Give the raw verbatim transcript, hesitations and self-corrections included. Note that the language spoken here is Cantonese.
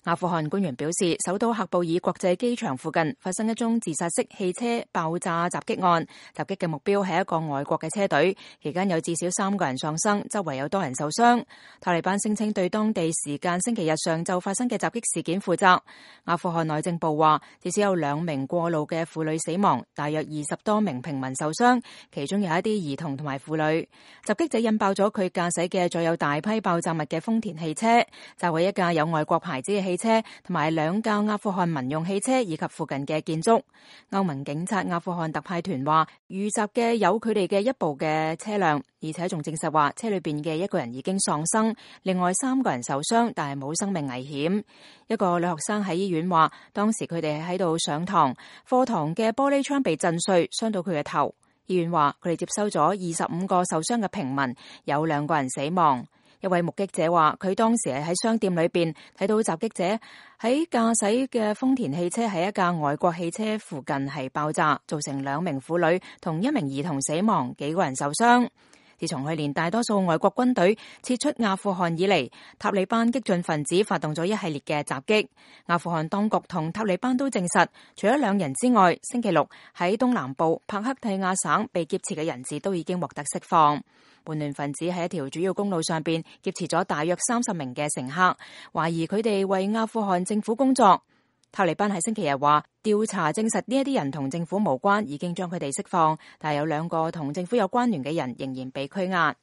阿富汗官員表示，首都喀布爾國際機場附近發生一宗自殺式汽車爆炸襲擊案，襲擊嘅目標係一個外國嘅車隊，期間有至少三個人喪生，周圍有多人受傷。塔利班聲稱對當地時間星期日上晝發生嘅襲擊事件負責。阿富汗內政部話，至少有兩名過路嘅婦女死亡，大約二十多名平民受傷，其中有一啲兒童同埋婦女。襲擊者引爆咗佢駕駛嘅載有大批爆炸物嘅豐田汽車，炸毀一架有外國牌子嘅汽車同埋兩架阿富汗民用汽車以及附近嘅建築。歐盟警察阿富汗特派團話，遇襲嘅有佢哋嘅一部嘅車輛，而且仲證實話車裏邊嘅一個人已經喪生，另外三個人受傷，但係冇生命危險。一個女學生喺醫院話，當時佢哋喺度上堂，課堂嘅玻璃窗被震碎，傷到佢嘅頭。醫院話佢哋接收咗二十五個受傷嘅平民，有兩個人死亡。一位目擊者話，佢當時係喺商店裏邊睇到襲擊者喺駕駛嘅豐田汽車喺一架外國汽車附近係爆炸，造成兩名婦女同一名兒童死亡，幾個人受傷。自從去年大多數外國軍隊撤出阿富汗以嚟，塔利班激進分子發動咗一系列嘅襲擊。阿富汗當局同塔利班都證實，除咗兩人之外，星期六喺東南部帕克蒂亞省被劫持嘅人質都已經獲得釋放。叛亂分子喺一條主要公路上邊劫持咗大約三十名嘅乘客，懷疑佢哋為阿富汗政府工作。塔利班喺星期日話，調查證實呢一啲人同政府無關，已經將佢哋釋放，但係有兩個同政府有關聯嘅人仍然被拘押。